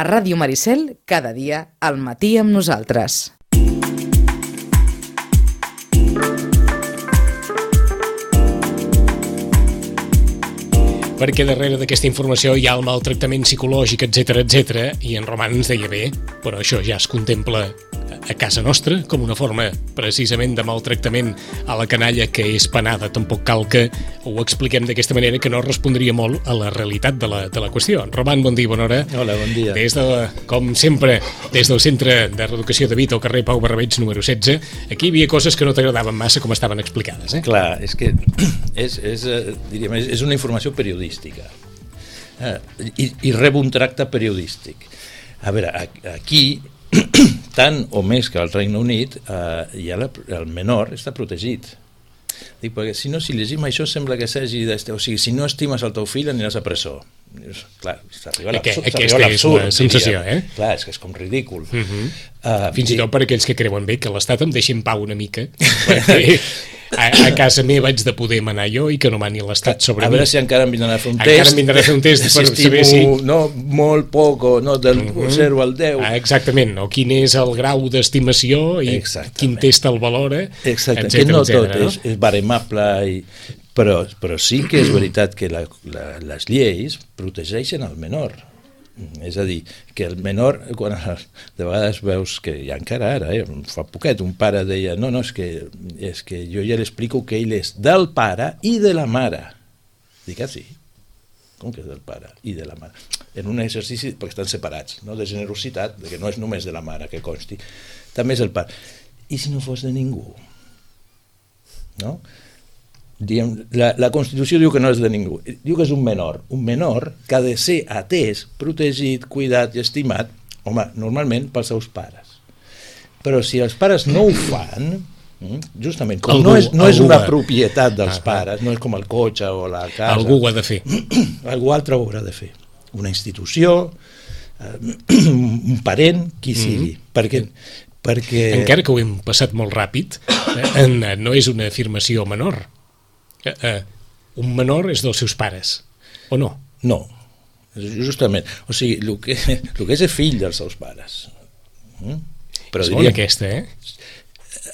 A Ràdio Maricel, cada dia, al matí amb nosaltres. Perquè darrere d'aquesta informació hi ha el maltractament psicològic, etc, i en Roman ens deia bé, però això ja es contempla a casa nostra com una forma precisament de maltractament a la canalla que és penada. Tampoc cal que ho expliquem d'aquesta manera, que no respondria molt a la realitat de la qüestió. Roman, bon dia, bona hora. Hola, bon dia. Com sempre, des del Centre de Reeducació de Vita, al carrer Pau Barrabets, número 16, aquí hi havia coses que no t'agradaven massa com estaven explicades. Clar, és que és una informació periodística i rep un tracte periodístic. A veure, aquí tant o més que al Regne Unit el menor està protegit. Dic, perquè si llegim això sembla que s'hagi o sigui, si no estimes el teu fill aniràs a presó. Clar, s'arriba a l'absurd. Aquesta és la sensació, Clar, és que és com ridícul. Fins i tot per aquells que creuen bé que l'Estat em deixi en pau una mica, perquè a casa meva haig de poder manar jo i que no mani l'Estat sobre mi. A veure si encara em vindran a fer un test. Encara em vindran a fer un test per saber si... molt poc, o del 0 al 10. Exactament, o quin és el grau d'estimació i quin test el valora. Exactament, que no tot és baremable, però sí que és veritat que les lleis protegeixen el menor. És a dir, que el menor, quan de vegades veus que ja encara ara, fa poquet, un pare deia no, és que jo ja l'explico que ell és del pare i de la mare. Dic, sí? Com que és del pare i de la mare? En un exercici, perquè estan separats, no? De generositat, que no és només de la mare, que consti, també és el pare. I si no fos de ningú? No? La Constitució diu que no és de ningú, diu que és un menor que ha de ser atès, protegit, cuidat i estimat, home, normalment pels seus pares. Però si els pares no ho fan, justament, com no és una propietat dels pares, no és com el cotxe o la casa, algú ho ha de fer. Algú altre ho haurà de fer. Una institució, un parent, qui sigui. Perquè encara que ho hem passat molt ràpid, no és una afirmació menor. Un menor és dels seus pares, o no? No, justament. O sigui, el que és fill dels seus pares. Però és bona aquesta,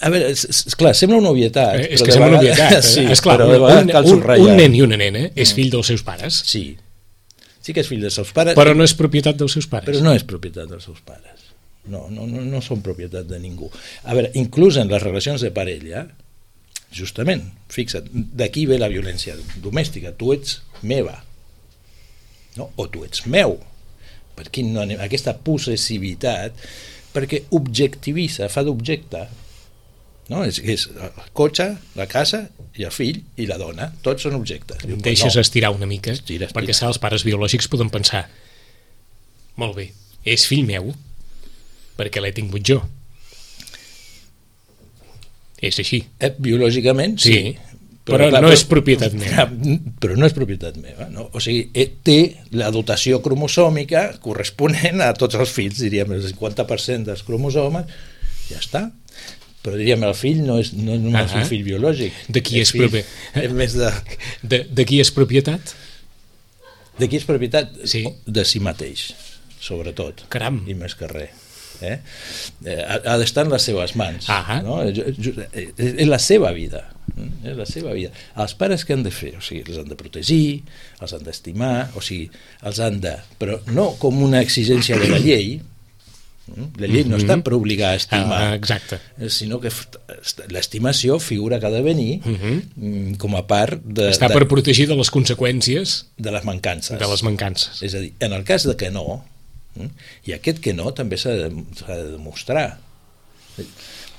A veure, esclar, sembla una obvietat. És que sembla una obvietat. Sí, esclar, un nen i una nena és fill dels seus pares. Sí que és fill dels seus pares. Però no és propietat dels seus pares. Però no és propietat dels seus pares. No són propietat de ningú. A veure, inclús en les relacions de parella, justament, fixa't, d'aquí ve la violència domèstica. Tu ets meva, no? O tu ets meu. Per què no anem? Aquesta possessivitat, perquè objectivitza, fa d'objecte, no? És el cotxe, la casa i el fill i la dona, tots són objectes. Em deixes estirar una mica, perquè els pares biològics poden pensar, molt bé, és fill meu perquè l'he tingut jo. És així. Biològicament, sí. Però no és propietat meva. Però no és propietat meva, no? O sigui, té la dotació cromosòmica corresponent a tots els fills, diríem, el 50% dels cromosomes, ja està. Però diríem, el fill no és només un fill biològic. De qui és propietat? De qui és propietat? Sí. De si mateix, sobretot. Caram. I més que res. Ha d'estar en les seves mans, no? És la seva vida, els pares què han de fer? O sigui, els han de protegir, els han d'estimar, o sigui, els han de, però no com una exigència de la llei. La llei no està per obligar a estimar, sinó que l'estimació figura que ha de venir com a part de... Està per protegir de les conseqüències de les mancances. És a dir, en el cas de que no, i aquest que no també s'ha de demostrar.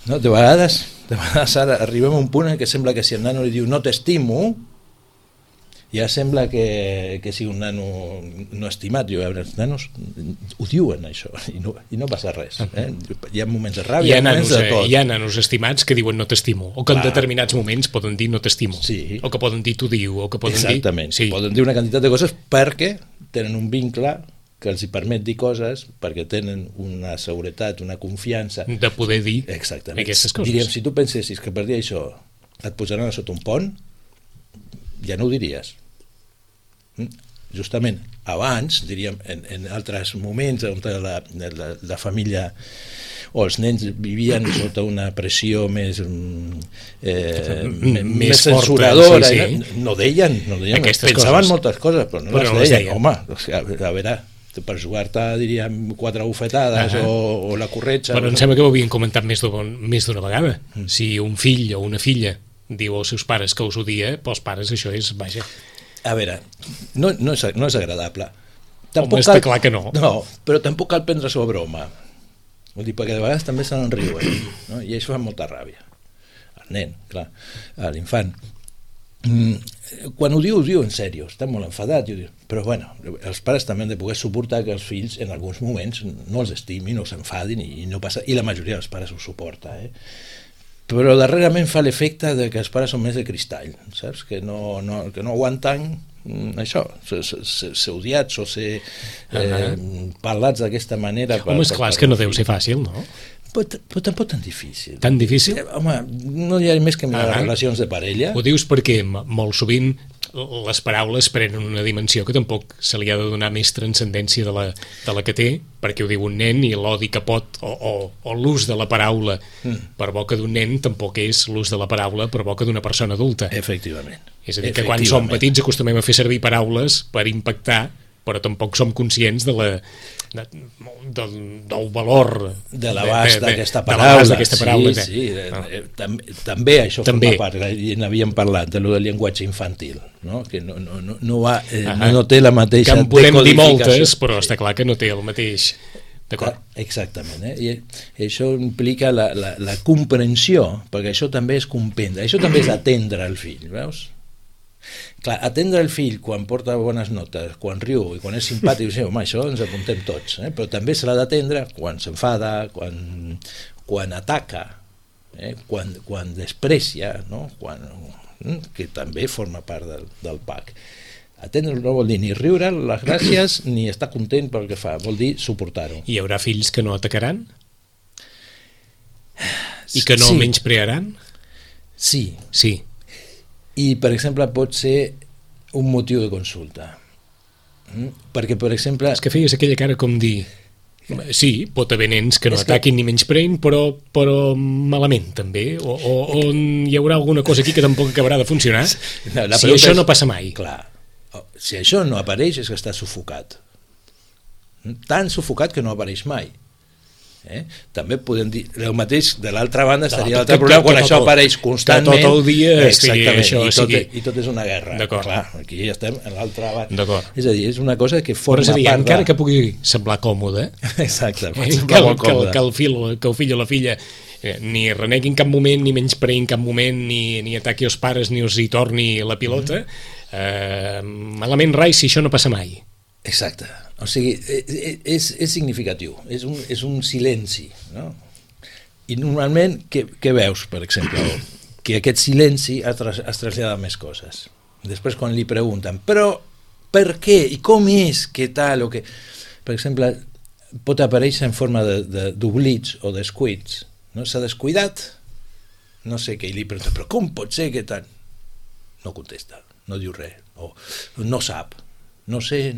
No, de vegades ara arribem a un punt en què sembla que si el nano li diu no t'estimo, ja sembla que sigui un nano no estimat. Els nanos ho diuen, això, i no passa res. Hi ha moments de ràbia, moments de tot. Hi ha nanos estimats que diuen no t'estimo, o que en determinats moments poden dir no t'estimo, o que poden dir t'ho diu, o que poden dir... Exactament, poden dir una quantitat de coses perquè tenen un vincle que els hi permet dir coses, perquè tenen una seguretat, una confiança de poder dir aquestes coses. Diríem, si tu pensessis que per dir això et posaran a sota un pont, ja no ho diries. justament abans, diríem, en altres moments on la família o els nens vivien sota una pressió més censuradora, sí. No deien pensaven moltes coses, però no les deien. Home, a veure, per jugar-te, diríem, 4 bufetades o la corretja... Però em sembla que ho havien comentat més d'una vegada. Si un fill o una filla diu als seus pares que us odia, pels pares això és, vaja... A veure, no és agradable. Home, està clar que no. No, però tampoc cal prendre-s'ho a broma. Vull dir, perquè de vegades també se n'enriuen, no? I això fa molta ràbia. El nen, clar, l'infant. Quan ho diu en sèrio, està molt enfadat, però bueno, els pares també han de poder suportar que els fills en alguns moments no els estimin o s'enfadin i no passa, i la majoria dels pares ho suporta, però darrerament fa l'efecte de que els pares són més de cristall, saps? Que no aguanten això, ser odiats o ser parlats d'aquesta manera. Home, esclar, és que no deu ser fàcil, no? Però tampoc tan difícil. Tan difícil? Home, no hi ha més que mirar les relacions de parella. Ho dius perquè molt sovint les paraules prenen una dimensió que tampoc se li ha de donar més transcendència de la que té, perquè ho diu un nen i l'odi que pot o l'ús de la paraula per boca d'un nen tampoc és l'ús de la paraula per boca d'una persona adulta. Efectivament. És a dir, que quan som petits acostumem a fer servir paraules per impactar, però tampoc som conscients del valor de l'abast d'aquesta paraula. Sí. També això forma part, i n'havíem parlat de lo del llenguatge infantil, no? Que no té la mateixa decodificació. Que en podem dir moltes, però està clar que no té el mateix. D'acord. Exactament, i això implica la comprensió, perquè això també és comprendre, això també és atendre el fill, veus? Clar, atendre el fill quan porta bones notes, quan riu i quan és simpàtic, home, això ens apuntem tots, però també se l'ha d'atendre quan s'enfada, quan ataca, quan desprecia, no? Que també forma part del PAC. Atendre no vol dir ni riure les gràcies ni estar content pel que fa, vol dir suportar-ho. Hi haurà fills que no atacaran? I que no menysprearan? Sí. I, per exemple, pot ser un motiu de consulta. Perquè, per exemple... És que feies aquella cara com dir... Sí, pot haver nens que no ataquin ni menyspreïn, però malament, també. O hi haurà alguna cosa aquí que tampoc acabarà de funcionar. Si això no passa mai. Clar, si això no apareix és que està sufocat. Tan sufocat que no apareix mai. També podem dir el mateix de l'altra banda, estaria l'altre problema quan això apareix constantment, tot el dia i tot és una guerra. Clar, aquí ja estem a l'altra banda. És a dir, és una cosa que forma part encara que pugui semblar còmode, exacte, que el fill o la filla ni renegui en cap moment, ni menyspreï en cap moment, ni ataqui els pares, ni els hi torni la pilota, malament rai si això no passa mai. Exacte, o sigui, és significatiu, és un silenci, no? I normalment, què veus, per exemple? Que aquest silenci es trasllada a més coses. Després, quan li pregunten, però per què, i com és, què tal, o què... Per exemple, pot aparèixer en forma d'oblits o descuits, no? S'ha descuidat, no sé què, i li pregunta, però com pot ser, què tal? No contesta, no diu res, o no sap. No sé.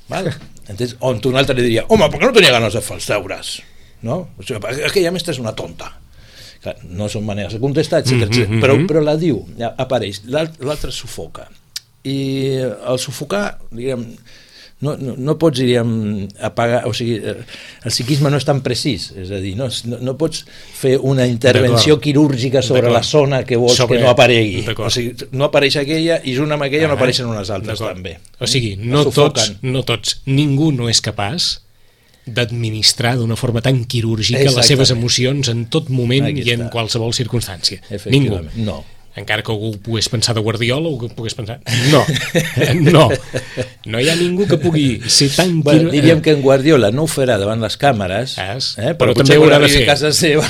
Vale? Entonces, on un altre li diria, home, per què no tenia ganes de fer els deures? No? O sigui, aquella mestra és una tonta. Clar, no són maneres de contestar, etc. Però la diu, apareix, l'altre sufoca. I el sufocar, diguem, no pots, diríem, apagar, o sigui, el psiquisme no és tan precís, és a dir, no pots fer una intervenció quirúrgica sobre la zona que vols que no aparegui. O sigui, no apareix aquella i junt amb aquella no apareixen unes altres també. O sigui, no tots, ningú no és capaç d'administrar d'una forma tan quirúrgica les seves emocions en tot moment i en qualsevol circumstància. Ningú. No. Encara que algú pogués pensar de Guardiola o que pogués pensar... No hi ha ningú que pugui ser tan... Diríem que en Guardiola no ho farà davant les càmeres, però també ho haurà de fer a casa seva,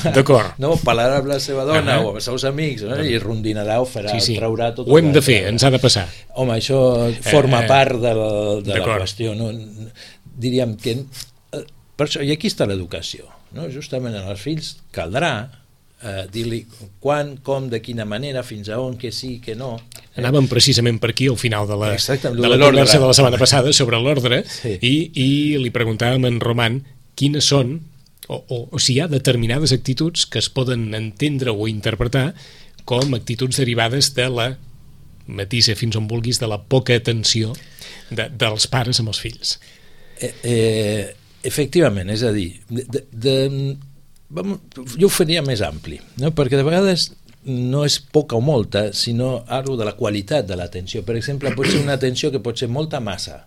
parlarà amb la seva dona o amb els seus amics, i rondinarà o farà, traurà tot. Ho hem de fer, ens ha de passar. Home, això forma part de la qüestió. Diríem que... Per això, i aquí està l'educació. Justament als fills caldrà dir-li quan, com, de quina manera, fins a on, que sí, que no, Anàvem precisament per aquí al final de la l'ordre. conversa de la setmana passada sobre l'ordre, sí. i li preguntàvem a en Roman quines són, o si hi ha determinades actituds que es poden entendre o interpretar com actituds derivades de la, matisa fins on vulguis, de la poca atenció dels pares amb els fills. Efectivament, és a dir, jo ho faria més ampli, no? Perquè de vegades no és poca o molta, sinó algo de la qualitat de l'atenció. Per exemple, pot ser una atenció que pot ser molta massa.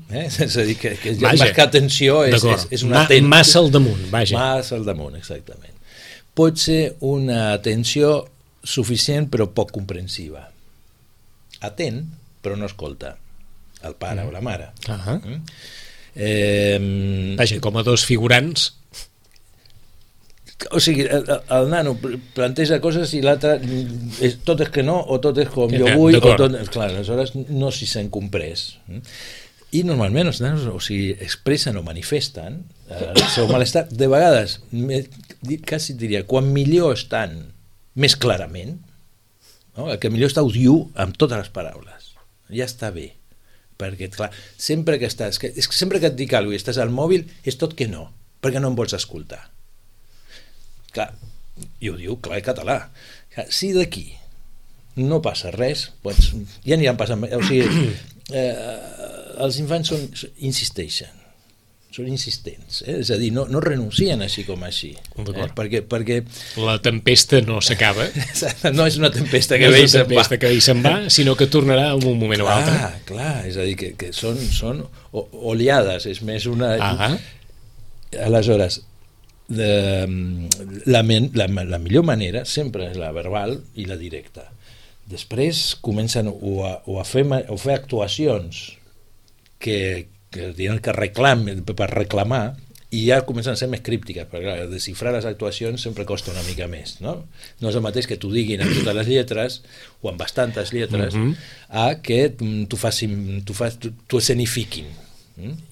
És a dir, que més que atenció és una atenció. Massa al damunt, vaja. Massa al damunt, exactament. Pot ser una atenció suficient però poc comprensiva. Atent, però no escolta el pare o la mare. Vaja, com a dos figurants. O sigui, el nano planteja coses i l'altre tot és que no, o tot és com jo vull, o tot... Clar, aleshores no s'hi sent comprès. I normalment els nanos, o sigui, expressen o manifesten el seu malestar, de vegades, quasi diria, quan millor estan més clarament, no? El que millor està ho diu amb totes les paraules, ja està bé, perquè clar, sempre que estàs, sempre que et dic alguna cosa i estàs al mòbil, és tot que no, perquè no em vols escoltar. Clar, i ho diu clar i català. Si d'aquí no passa res, doncs ja aniran passant, o sigui, els infants insisteixen, són insistents, és a dir, no renuncien així com així, perquè la tempesta no s'acaba, no és una tempesta que ve i se'n va, sinó que tornarà en un moment o altre. Clar, és a dir, que són oleades, és més una... Aleshores, la millor manera sempre és la verbal i la directa. Després comencen a fer actuacions que diuen que reclamen per reclamar, i ja comencen a ser més críptiques, perquè desxifrar les actuacions sempre costa una mica més, no? No és el mateix que t'ho diguin amb totes les lletres o amb bastantes lletres, a que t'ho escenifiquin,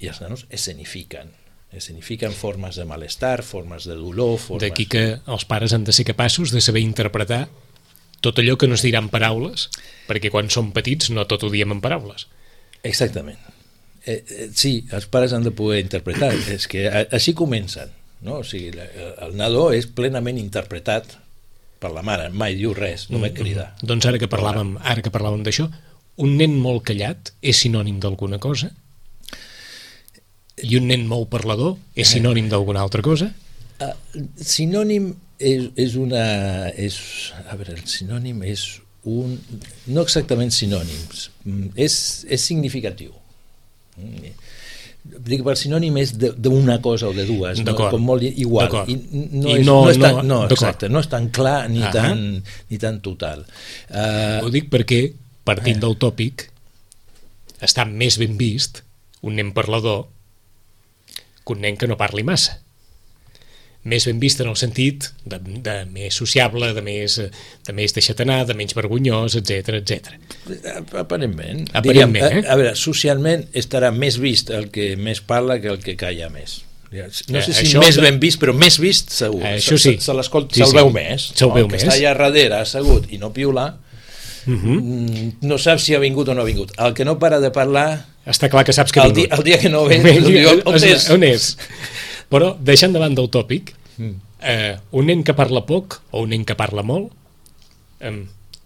i els nanos escenifiquen formes de malestar, formes de dolor, D'aquí que els pares han de ser capaços de saber interpretar tot allò que no es dirà en paraules, perquè quan som petits no tot ho diem en paraules. Exactament. Sí, els pares han de poder interpretar, és que així comencen, no? O sigui, el nadó és plenament interpretat per la mare, mai diu res, només crida. Doncs ara que parlàvem d'això, un nen molt callat és sinònim d'alguna cosa? I un nen molt parlador és sinònim d'alguna altra cosa? Sinònim és una... A veure, el sinònim és un... No exactament sinònims, és significatiu. Dic que el sinònim és d'una cosa o de dues, com molt igual, i no és tan clar ni tan total. Ho dic perquè, partint del tòpic, està més ben vist un nen parlador que un nen que no parli massa. Més ben vist en el sentit de més sociable, de més deixat anar, de menys vergonyós, etc. Aparentment. A veure, socialment estarà més vist el que més parla que el que calla més. No sé si més ben vist, però més vist segur. Això sí. Se'l veu més. El que està allà darrere assegut i no piula, no saps si ha vingut o no ha vingut. El que no para de parlar... Està clar que saps que ha vingut. El dia que no ve, on és? Però, deixant davant del tòpic, un nen que parla poc o un nen que parla molt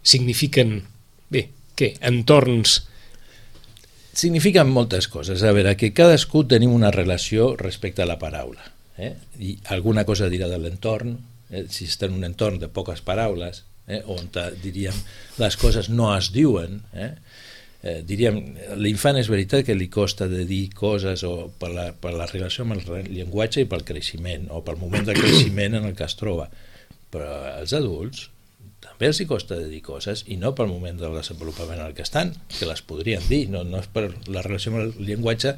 signifiquen, entorns... Signifiquen moltes coses. A veure, que cadascú tenim una relació respecte a la paraula. I alguna cosa dirà de l'entorn, si està en un entorn de poques paraules, on, diríem, les coses no es diuen, diríem, l'infant és veritat que li costa de dir coses o per la relació amb el llenguatge i pel creixement o pel moment de creixement en el que es troba, però als adults també els hi costa de dir coses i no pel moment del desenvolupament en el que estan, que les podrien dir, no és per la relació amb el llenguatge,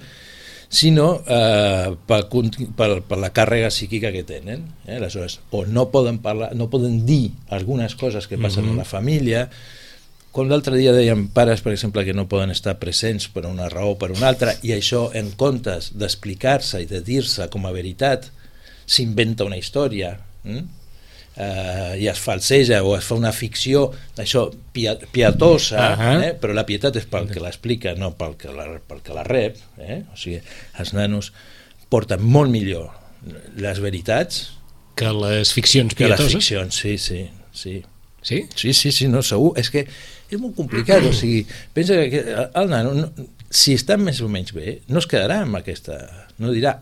sinó per la càrrega psíquica que tenen. Aleshores, o no poden parlar, no poden dir algunes coses que passen a la família. Com l'altre dia dèiem pares, per exemple, que no poden estar presents per una raó o per una altra, i això, en comptes d'explicar-se i de dir-se com a veritat, s'inventa una història. i es falseja o es fa una ficció això pietosa, però la pietat és pel que l'explica, no pel que la rep, o sigui, els nanos porten molt millor les veritats que les ficcions pietoses. Que les ficcions, sí. Sí? Sí, no, segur. És que és molt complicat, o sigui, pensa que el nano, si està més o menys bé, no es quedarà amb aquesta, no dirà,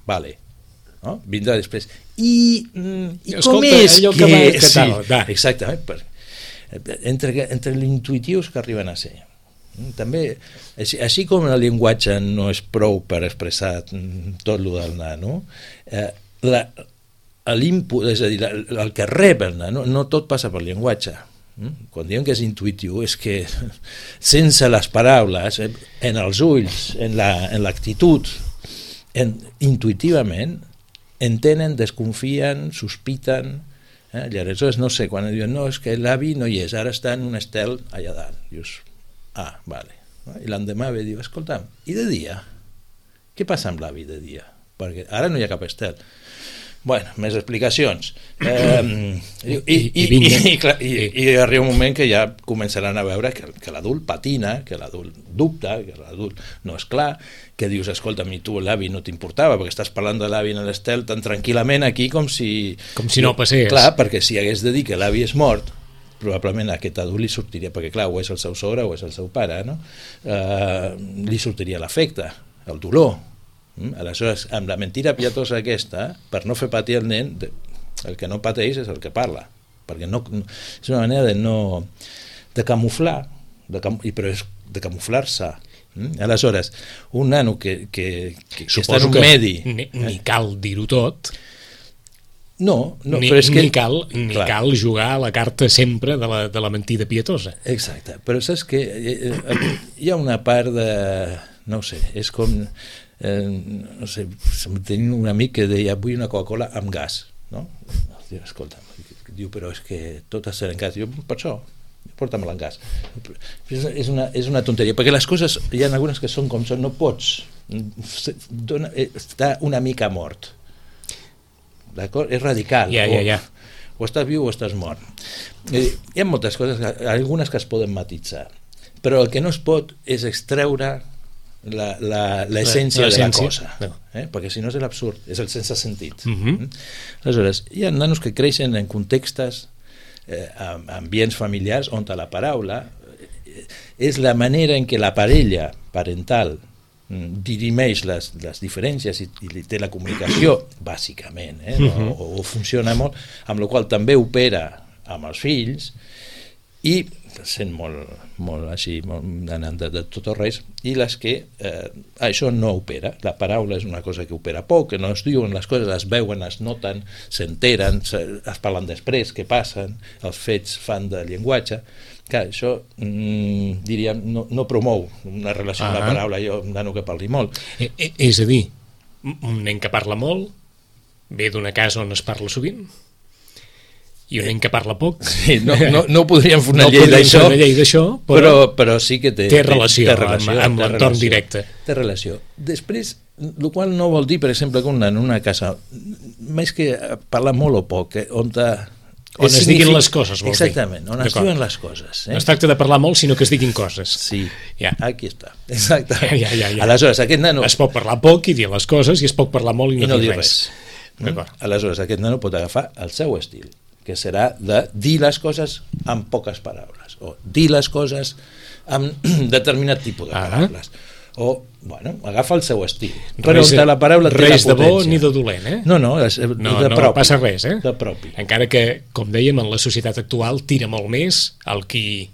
vale, no? Vindrà després. I com és que sí, exactament, entre l'intuitius que arriben a ser. També, així com el llenguatge no és prou per expressar tot el del nano, l'input, és a dir, el que rep el nano, no tot passa pel llenguatge. Quan diem que és intuitiu és que sense les paraules, en els ulls, en l'actitud, intuïtivament entenen, desconfien, sospiten, i aleshores no sé, quan diuen no, és que l'avi no hi és, ara està en un estel allà dalt, dius, vale, i l'endemà ve i diu, escolta'm, i de dia? Què passa amb l'avi de dia? Perquè ara no hi ha cap estel. Bueno, més explicacions. I arriba un moment que ja començaran a veure que l'adult patina, que l'adult dubta, que l'adult no és clar, que dius, escolta, a mi tu l'avi no t'importava, perquè estàs parlant de l'avi en l'estel tan tranquil·lament aquí com si no passés. Clar, perquè si hagués de dir que l'avi és mort, probablement a aquest adult li sortiria, perquè clar, o és el seu sogre o és el seu pare, no? Li sortiria l'afecte, el dolor. Aleshores, amb la mentira pietosa aquesta, per no fer patir el nen, el que no pateix és el que parla, perquè és una manera de camuflar, però és de camuflar-se. Aleshores, un nano que està en un medi... Ni cal dir-ho tot. No, però és que... Ni cal jugar a la carta sempre de la mentida pietosa. Exacte, però saps que hi ha una part de... No ho sé, és com... no sé, tenim un amic que deia vull una Coca-Cola amb gas, no? Escolta, diu, però és que tot ha de ser en gas. Jo, per això, porta-me-la en gas. És una tonteria, perquè les coses, hi ha algunes que són com són, no pots, està una mica mort, d'acord? És radical. O estàs viu o estàs mort. Hi ha moltes coses, algunes que es poden matisar, però el que no es pot és extreure l'essència de la cosa, perquè si no és l'absurd, és el sense sentit. Aleshores, hi ha nanos que creixen en contextes, ambients familiars on la paraula és la manera en què la parella parental dirimeix les diferències i té la comunicació bàsicament, o funciona molt, amb la qual també opera amb els fills i sent molt així, anant de tot o res, i les que això no opera. La paraula és una cosa que opera poc, que no es diuen les coses, es veuen, es noten, s'enteren, es parlen després, què passen, els fets fan de llenguatge. Clar, això, diríem, no promou una relació amb la paraula, jo un nano que parli molt. És a dir, un nen que parla molt ve d'una casa on es parla sovint? I un nen que parla poc. Sí, no podríem fer una llei d'això, però sí que té relació amb l'entorn directe. Té relació. Després, el qual no vol dir, per exemple, que un nen en una casa, més que parlar molt o poc, on es diguin les coses, vols dir. Exactament, on es diuen les coses. No es tracta de parlar molt, sinó que es diguin coses. Sí, aquí està. Exactament. Aleshores, aquest nano... Es pot parlar poc i dir les coses, i es pot parlar molt i no dir res. Aleshores, aquest nano pot agafar el seu estil, que serà de dir les coses amb poques paraules, o dir les coses amb determinat tipus de paraules, o, bueno, agafa el seu estil, però la paraula té la potència. Res de bo ni de dolent, No, no passa res, de propi. Encara que, com dèiem, en la societat actual tira molt més el qui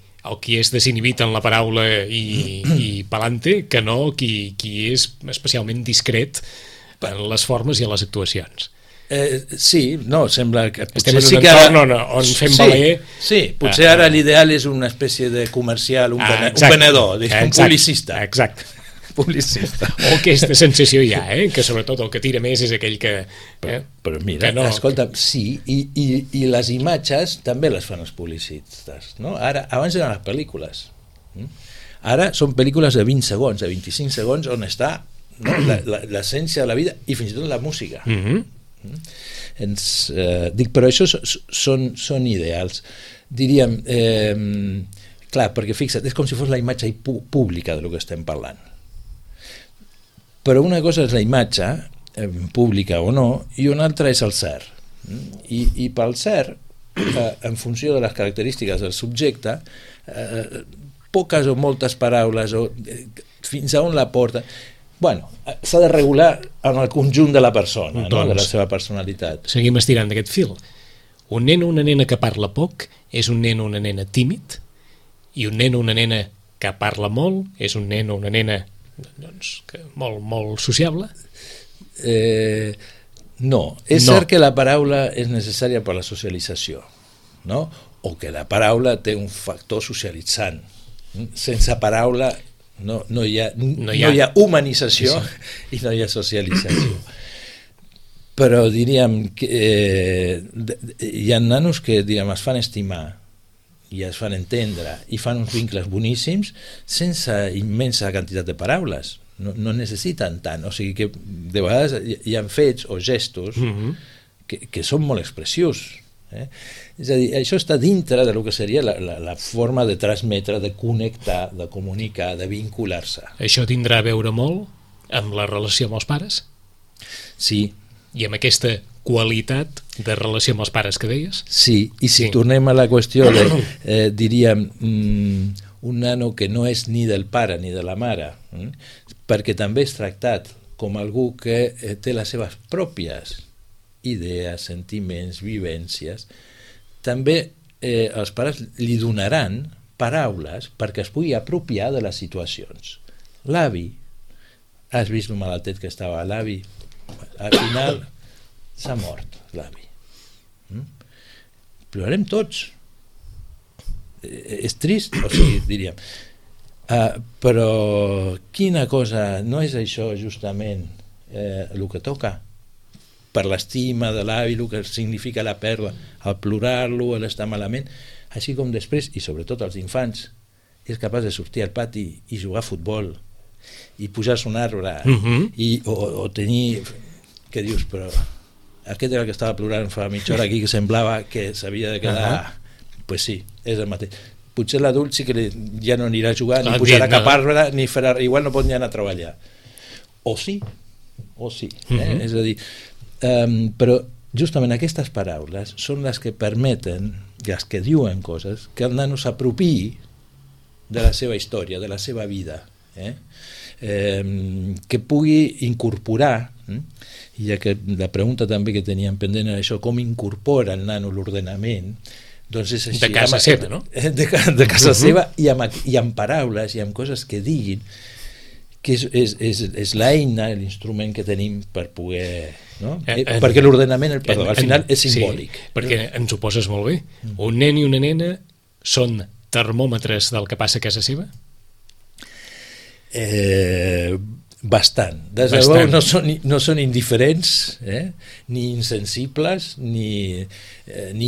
és desinhibit en la paraula i pelante, que no qui és especialment discret en les formes i en les actuacions. Sí, no, sembla que estem en un entorn on fem valer. Sí, potser ara l'ideal és una espècie de comercial, un venedor, un publicista. Exacte. Publicista. O aquesta sensació hi ha, que sobretot el que tira més és aquell que... Però mira, escolta, sí, i les imatges també les fan els publicistes, no? Abans eren les pel·lícules. Ara són pel·lícules de 20 segons, de 25 segons, on està l'essència de la vida i fins i tot la música. Dic, però això són ideals. Diríem, clar, perquè fixa't, és com si fos la imatge pública del que estem parlant. Però una cosa és la imatge, pública o no, i una altra és el cert. I pel cert, en funció de les característiques del subjecte, poques o moltes paraules, o fins a on la porta... Bueno, s'ha de regular en el conjunt de la persona, no? De la seva personalitat. Seguim estirant d'aquest fil. Un nen o una nena que parla poc és un nen o una nena tímid, i un nen o una nena que parla molt és un nen o una nena molt sociable? No, és cert que la paraula és necessària per la socialització, no? O que la paraula té un factor socialitzant. Sense paraula no hi ha humanització i no hi ha socialització. Però diríem que hi ha nanos que es fan estimar i es fan entendre i fan uns vincles boníssims sense immensa quantitat de paraules. No necessiten tant, o sigui que de vegades hi ha fets o gestos que són molt expressius. És a dir, això està dintre del que seria la forma de transmetre, de connectar, de comunicar, de vincular-se. Això tindrà a veure molt amb la relació amb els pares? Sí. I amb aquesta qualitat de relació amb els pares que deies? Sí, i si tornem a la qüestió de, diríem, un nano que no és ni del pare ni de la mare, perquè també és tractat com algú que té les seves pròpies idees, sentiments, vivències, també els pares li donaran paraules perquè es pugui apropiar de les situacions. L'avi, has vist el malaltet que estava l'avi? Al final s'ha mort l'avi. Plorarem tots. És trist, o sigui, diríem. Però quina cosa, no és això justament el que toca? Per l'estima de l'avi, el que significa la pèrdua, el plorar-lo, l'estar malament, així com després, i sobretot els infants, és capaç de sortir al pati i jugar a futbol i pujar-se un arbre o tenir, que dius, però aquest era el que estava plorant fa mitja hora aquí, que semblava que s'havia de quedar. Pues sí, és el mateix. Potser l'adult sí que ja no anirà a jugar, ni pujarà cap arbre, ni farà, igual no pot ni anar a treballar, o sí, és a dir, però justament aquestes paraules són les que permeten, les que diuen coses, que el nano s'apropiï de la seva història, de la seva vida, que pugui incorporar, i ja que la pregunta també que teníem pendent era això, com incorpora el nano l'ordenament, doncs és així, de casa seva, no? De casa seva, i amb paraules i amb coses que diguin, que és l'eina, l'instrument que tenim per poder... No? Perquè l'ordenament, al final, és simbòlic. Sí, perquè ens ho poses molt bé. Un nen i una nena són termòmetres del que passa a casa seva? Bastant. Des de debò no són indiferents, ni insensibles, ni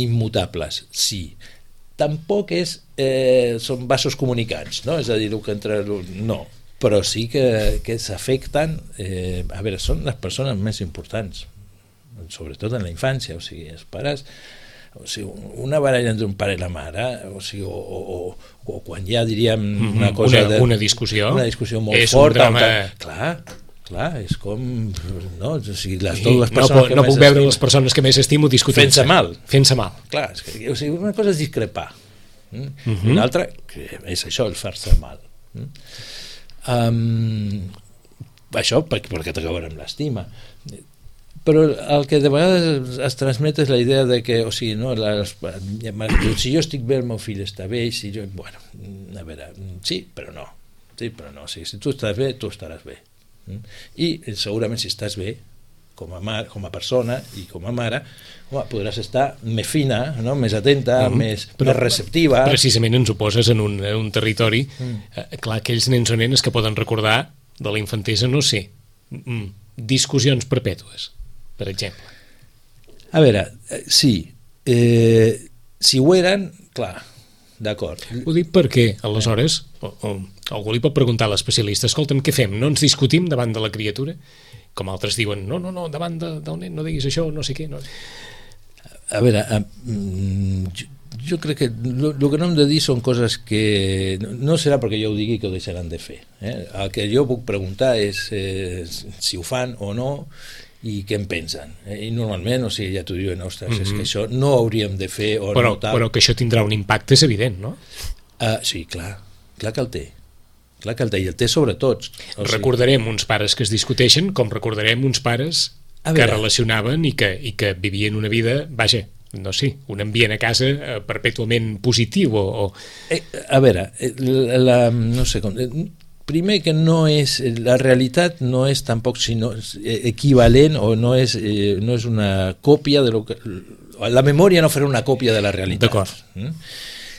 immutables. Sí. Tampoc són vasos comunicants, no? És a dir, el que entre... No. Però sí que s'afecten, a veure, són les persones més importants, sobretot en la infància, o sigui, els pares, o sigui, una baralla entre un pare i la mare, o sigui, o quan ja diríem una cosa... Una discussió molt forta. Clar, és com... No, o sigui, les dues persones que no puc veure les persones que més estimo discutint-se. Fent-se mal. Clar, o sigui, una cosa és discrepar, una altra és això, el fer-se mal. Això perquè t'acabarà amb l'estima, però el que de vegades es transmet és la idea de que, o sigui, no, si jo estic bé, el meu fill està bé, si jo, bueno, a veure, sí, però no, o sigui, si tu estàs bé, tu estaràs bé, i segurament si estàs bé com a persona i com a mare, podràs estar més fina, no? Més atenta, més receptiva. Precisament ens ho poses en un territori, clar, aquells nens o nenes que poden recordar de la infantesa, no sé, discussions perpètues, per exemple. A veure, sí, si ho eren, clar, d'acord. Ho dic perquè, aleshores, algú li pot preguntar a l'especialista, escolta'm, què fem? No ens discutim davant de la criatura? com altres diuen, no, davant del nen no diguis això, no sé què. No. A veure, jo crec que el que no hem de dir són coses que no serà perquè jo ho digui que ho deixaran de fer. El que jo puc preguntar és si ho fan o no i què en pensen. I normalment, o sigui, ja t'ho diuen, ostres, és que això no ho hauríem de fer o no tal. Però que això tindrà un impacte és evident, no? Sí, clar que el té. Clar que el té, i el té sobre tots. Recordarem uns pares que es discuteixen com recordarem uns pares que relacionaven i que vivien una vida, vaja, no sé, un ambient a casa perpètuament positiu a veure, no sé com... Primer que no és... La realitat no és tampoc sinó equivalent o no és una còpia de lo que... La memòria no farà una còpia de la realitat. D'acord.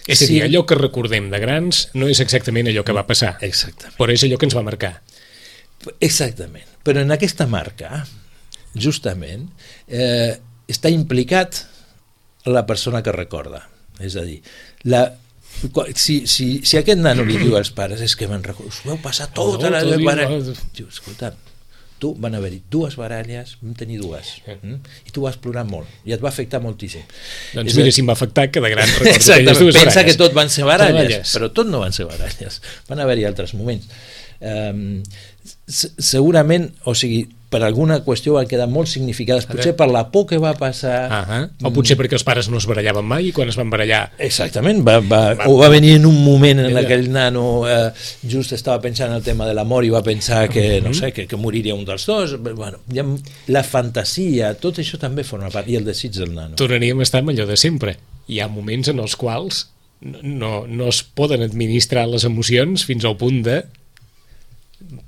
És a dir, allò que recordem de grans no és exactament allò que va passar. Exactament. Però és allò que ens va marcar. Exactament. Però en aquesta marca, justament, està implicat la persona que recorda. És a dir, si aquest nano li diu als pares és que me'n recordo, us vau passar tota la baralla, diu, escolta, tu van haver-hi 2 baralles, vam tenir 2, i tu vas plorar molt i et va afectar moltíssim. Doncs mira, si em va afectar que de gran recordo aquelles 2 baralles. Pensa que tot van ser baralles, però tot no van ser baralles, van haver-hi altres moments. Segurament, o sigui, per alguna qüestió van quedar molt significades, potser per la por que va passar, o potser perquè els pares no es barallaven mai i quan es van barallar exactament, va venir en un moment en què el nano just estava pensant en el tema de la mort i va pensar que, no sé, que moriria un dels dos. Bueno, la fantasia, tot això també forma part, i el desig del nano. Tornaríem a estar amb allò de sempre. Hi ha moments en els quals no es poden administrar les emocions fins al punt de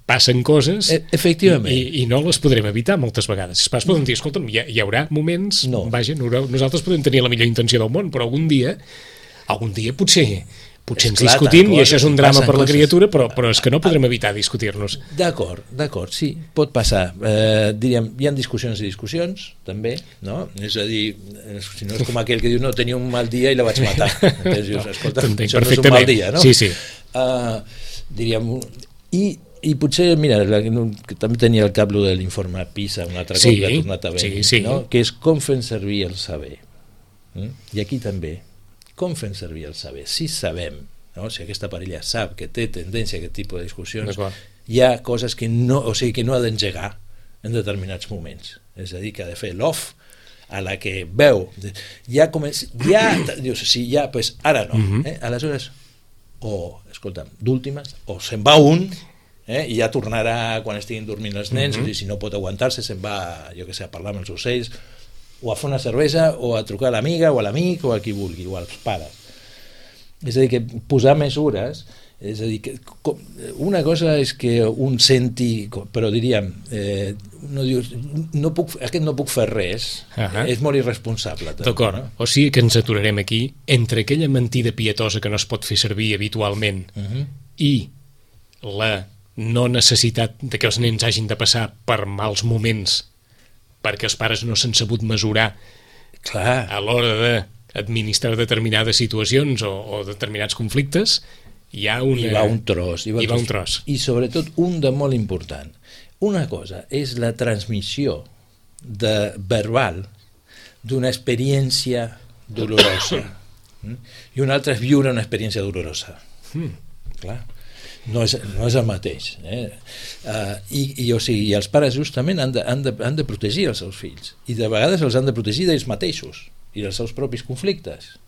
passen coses i no les podrem evitar moltes vegades. Els pares poden dir, escolta'm, hi haurà moments, vaja, nosaltres podem tenir la millor intenció del món, però algun dia potser ens discutim i això és un drama per la criatura, però és que no podrem evitar discutir-nos. D'acord, sí, pot passar. Diríem, hi ha discussions i discussions, també, no? És a dir, si no és com aquell que diu, no, tenia un mal dia i la vaig matar. Dius, escolta, això no és un mal dia, no? Sí. Diríem, i potser, mira, que també tenia al cap de l'informe PISA un altre cop que ha tornat a venir, no? Que és com fem servir el saber. I aquí també, com fem servir el saber? Si sabem, no? Si aquesta parella sap que té tendència a aquest tipus de discussions, hi ha coses que no ha d'engegar en determinats moments. És a dir, que ha de fer l'off a la que veu, dius, sí, ja, doncs ara no. Aleshores, escolta'm, d'últimes, o se'n va un, i ja tornarà quan estiguin dormint els nens, o si no pot aguantar-se se'n va, jo que sé, a parlar amb els ocells o a fer una cervesa o a trucar a l'amiga o a l'amic o a qui vulgui, o als pares. És a dir, que posar mesures, és a dir, que una cosa és que un senti, però diríem, aquest no puc fer res, és molt irresponsable. D'acord, o sigui que ens aturarem aquí entre aquella mentida pietosa que no es pot fer servir habitualment i la no necessitat de que els nens hagin de passar per mals moments perquè els pares no s'han sabut mesurar a l'hora d'administrar determinades situacions o determinats conflictes, hi va un tros. I sobretot un de molt important. Una cosa és la transmissió verbal d'una experiència dolorosa i una altra és viure una experiència dolorosa. Clar. No és el mateix. I els pares justament han de protegir els seus fills, i de vegades els han de protegir d'ells mateixos i dels seus propis conflictes.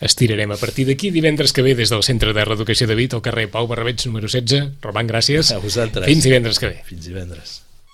Estirarem a partir d'aquí divendres que ve des del Centre de Reeducació de Vic al carrer Pau Barrabeig número 16. Roman, gràcies. A vosaltres. Fins divendres que ve. Fins divendres.